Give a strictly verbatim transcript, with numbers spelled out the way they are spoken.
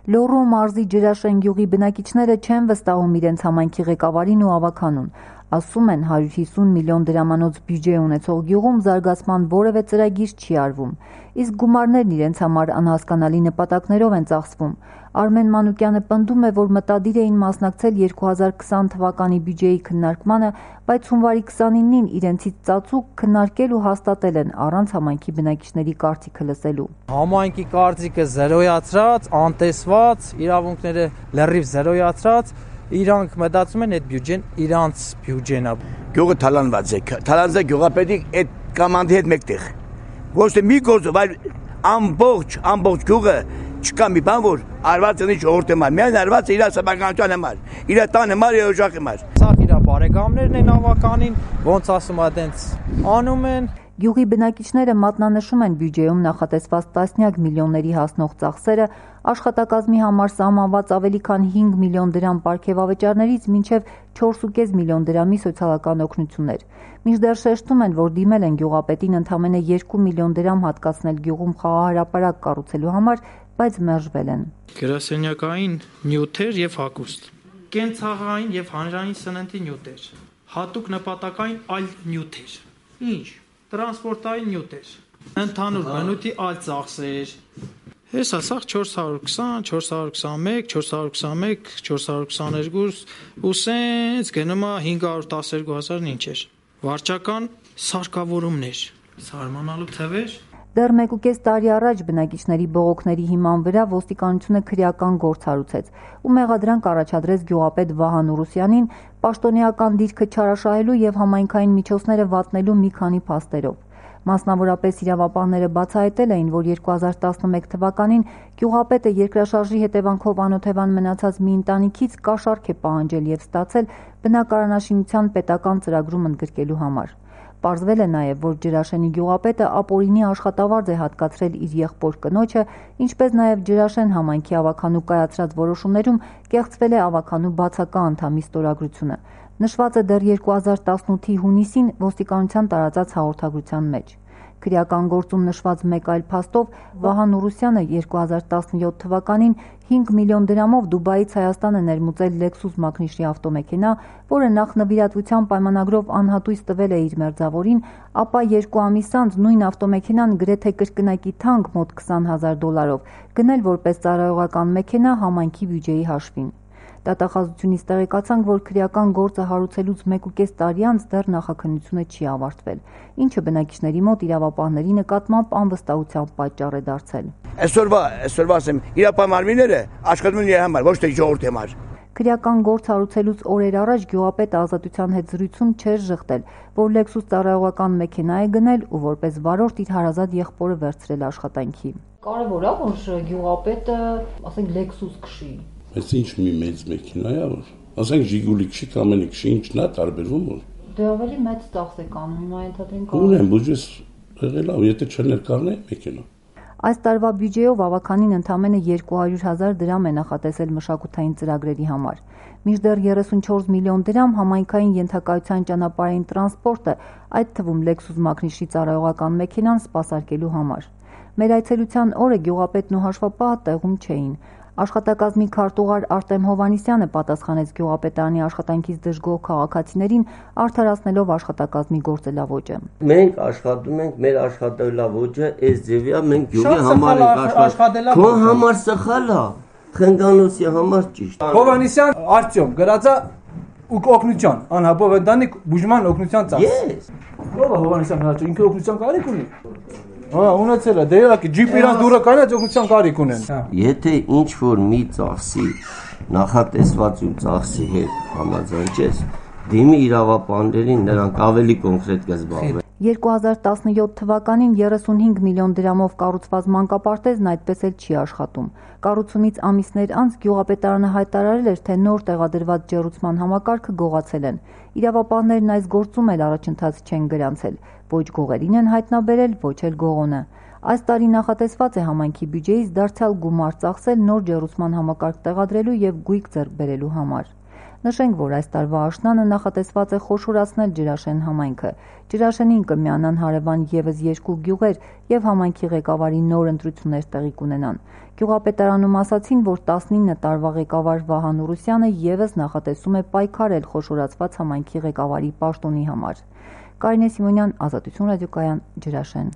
Լոռու մարզի Ջրաշեն գյուղի բնակիչները չեն վստահում իրենց համայնքի ղեկավարին ու ավականուն։ Ասում են հարյուր հիսուն միլիոն դրամանոց բյուջե ունեցող գյուղում զարգացման որևէ ծրագիր չի արվում, իսկ գումարներն իրենց համար անհասկանալի նպատակներով են ծախսվում։ Արմեն Մանուկյանը պնդում է, որ մտադիր էին մասնակցել երկու հազար քսան թվականի բյուջեի քննարկմանը, բայց հունվարի քսանինին իրենցից ծածուկ քննարկել ու հաստատել են առանց համայնքի բնակիչների կարծիքը լսելու։ Համայնքի կարծիքը զրոյացրած, անտեսված, իրավունքները լրիվ զրոյացրած, իրանք մտածում են այդ բյուջեն իրանց բյուջեն է։ Գյուղը թալանված է, թալանված է գյուղապետի այդ կամանդի հետ մեկտեղ։ Ոչ թե մի գործով, այլ ամբողջ, ամբողջ գյուղը չկա մի բան, որ արված ունի ժողովրդի համար, միայն արված է իր սեփականության համար, իր տան համար, իր օժախի համար։ Սա իր բարեկամներն են ավականին, ոնց ասում ա, տենց անում են։ Գյուղի բնակիչները մատնանշում են բյուջեում նախատեսված տասնյակ միլիոնների հասնող ծախսերը, աշխատակազմի համար սահմանված ավելի քան հինգ միլիոն դրամ պարգևավճարներից մինչև չորս կես միլիոն դրամի սոցիալական օգնություններ։ Մինչդեռ շեշտում են, որ դիմել են գյուղապետին ընդամենը երկու միլիոն դրամ հատկացնել գյուղում խաղահրապարակ կառուցելու համար, բայց մերժվել են։ Գրասենյակային նյութեր եւ հագուստ, կենցաղային եւ հանրային սննդի նյութեր, հատուկ նպատակային այլ նյութեր։ Ինչ տրանսպորտային նյութեր, ընդհանուր բնույթի այլ ծախսեր։ Հեսա սա չորս հարյուր քսան, չորս հարյուր քսանմեկ, չորս հարյուր քսանմեկ, չորս հարյուր քսաներկու ու սենց գնում է հինգ հարյուր տասներկու հազարն ինչ էր։ Վարչական սարքավորումներ, սարմանալու թվեր։ Դեռ մեկ ու կես տարի առաջ բնակիչների բողոքների հիման վրա ոստիկանությունը քրեական գործ հարուցեց ու մեղադրանք առաջադրեց գյուղապետ Վահան Ուրուսյանին պաշտոնեական դիրքը չարաշահելու եւ համայնքային միջոցները վատնելու մի քանի փաստերով։ Մասնավորապես իրավապահները բացահայտել էին, որ երկու հազար տասնմեկ թվականին գյուղապետը երկրաշարժի հետևանքով անօթևան մնացած մի ընտանիքից կաշառք է պահանջել եւ ստացել բնակարանաշինության պետական ծրագրում ընդգրկելու համար։ Պարզվել է նաև, որ Ջրաշենի գյուղապետը ապօրինի աշխատավարձ է հատկացրել իր եղբոր կնոջը, ինչպես նաև Ջրաշեն համայնքի ավականու կայացրած որոշումներում կեղծվել է ավականու բացակա անդամի ստորագրությունը։ Նշված է դեռ երկու հազար տասնութի հունիսին ոստիկանության տարածած հաղորդագրության մեջ։ Քրեական գործում նշված մեկ այլ փաստով Վահան Ուրուսյանը երկու հազար տասնյոթ թվականին հինգ միլիոն դրամով Դուբայից Հայաստան է ներմուծել Lexus մակնիշի ավտոմեքենա, որը նախ նվիրատվության պայմանագրով անհատույց տվել է իր մերձավորին, ապա երկու ամիս անց նույն ավտոմեքենան գրեթե կրկնակի թանկ մոտ քսան հազար դոլարով գնել որպես ծառայողական մեքենա համայնքի բյուջեի հաշվին։ Դատախազությունից տեղեկացանք, որ քրեական գործը հարուցելուց մեկ ու կես տարի անց դեռ նախաքննությունը չի ավարտվել, ինչը բնակիչների մոտ իրավապահների նկատմամբ անվստահության պատճառ է դարձել։ Այսօրվա, այսօրվա ասեմ, իրապահ աշխատում են իր համար, ոչ թե ժողովրդի համար։ Քրեական գործ հարուցելուց օրեր առաջ գյուղապետը Ազատության հետ զրույցում չէր ժխտել, որ Lexus ծառայողական մեքենա է գնել ու որպես վարորդ իր հարազատ եղբորը վերցրել աշխատանքի։ Կարևոր է, որ գյուղապետը, ասենք, Lexus քշի։ Բայց ինչ մի մեծ մեքենա է, որ ասենք Ժիգուլի քշի կամ ամենի քշի, ինչն է տարբերվում որ։ Դե ավելի մեծ ծախս է կանում, հիմա ենթադրենք։ Ունեն բյուջես եղել է, եթե չներկառնեի մեքենա։ Այս տարվա բյուջեով ավականին ընդամենը երկու հարյուր հազար դրամ է նախատեսել մշակութային ծրագրերի համար։ Մինչդեռ երեսունչորս միլիոն դրամ համայնքային ենթակայության ճանապարհային տրանսպորտը, այդ թվում Lexus մակնիշի ծառայողական մեքենան սպասարկելու համար։ Մեր այցելության օրը գյուղապետն ու հաշվապահը տեղում չէին։ Աշխատակազմի քարտուղար Արտեմ Հովհաննիսյանը պատասխանեց գյուղապետարանի աշխատանքից դժգոհ քաղաքացիներին, արդարացնելով աշխատակազմի գործելավոճը։ Մենք աշխատում ենք, մեր աշխատելավոճը այս ձևի է, մենք գյուղի համար ենք աշխատել։ Քո համար սխալ է, Խնգանոսի համար ճիշտ։ Հովհաննիսյան Արտյոմ գրածա ու օգնության, անհապով ընտանիք բուժման օգնության ծախս։ Ես։ Ո՞վ է Հովհաննիսյան հրաչը, ինքը օգնության կարիք ունի։ Հա, ունեցել է, դե իհարկե ջիպ իրանց դուրը կանած օգնության կարիք ունեն։ Եթե ինչ որ մի ծախսի նախատեսված ու ծախսի հետ համաձայնես, դիմի իրավապահներին, նրանք ավելի կոնկրետ կզբաղվեն։ երկու հազար տասնյոթ թվականին երեսունհինգ միլիոն դրամով կառուցված մանկապարտեզն այդպես էլ չի աշխատում։ Կառուցումից ամիսներ անց գյուղապետարանը հայտարարել էր, թե նոր տեղադրված ջեռուցման համակարգը գողացել են։ Իրավապահներն այս գործում էլ առաջընթաց չեն գրանցել, ոչ գողերին են հայտնաբերել, ոչ էլ գողոնը։ Այս տարի նախատեսված է համայնքի բյուջեից դարձյալ գումար ծախսել նոր ջեռուցման համակարգ տեղադրելու եւ գույք ձեռք բերելու համար։ Նշենք, որ այս տարվա աշնանը նախատեսված է խոշորացնել Ջրաշեն համայնքը։ Ջրաշենին կմիանան հարևան ևս երկու գյուղեր եւ համայնքի ղեկավարի նոր ընտրություններ տեղի կունենան։ Գյուղապետարանում ասացին, որ տասնինը տարվա ղեկավար Վահան Ուրուսյանը ևս նախատեսում է պայքարել խոշորացված համայնքի ղեկավարի պաշտոնի համար։ Կարինե Սիմոնյան, Ազատություն ռադիոկայան, Ջրաշեն։